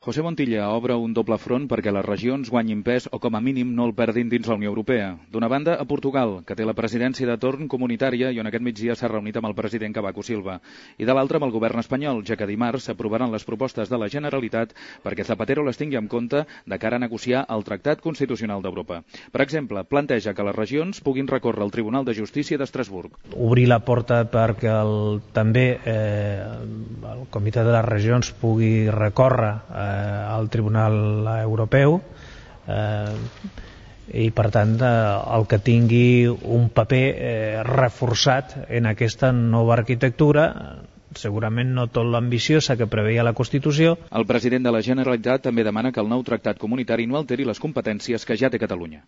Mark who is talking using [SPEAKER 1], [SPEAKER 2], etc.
[SPEAKER 1] José Montilla obre un doble front perquè les regions guanyin pes o com a mínim no el perdin dins la Unió Europea. D'una banda, a Portugal, que té la presidència de torn comunitària i on aquest migdia s'ha reunit amb el president Cavaco Silva. I de l'altra, amb el govern espanyol, ja que dimarts s'aprovaran les propostes de la Generalitat perquè Zapatero les tingui en compte de cara a negociar el Tractat Constitucional d'Europa. Per exemple, planteja que les regions puguin recórrer al Tribunal de Justícia d'Estrasburg.
[SPEAKER 2] Obrir la porta perquè també el Comitè de les Regions pugui recórrer al Tribunal Europeu i per tant el que tingui un paper reforçat en aquesta nova arquitectura, segurament no tot l'ambiciosa que preveia la Constitució.
[SPEAKER 1] El president de la Generalitat també demana que el nou tractat comunitari no alteri les competències que ja té Catalunya.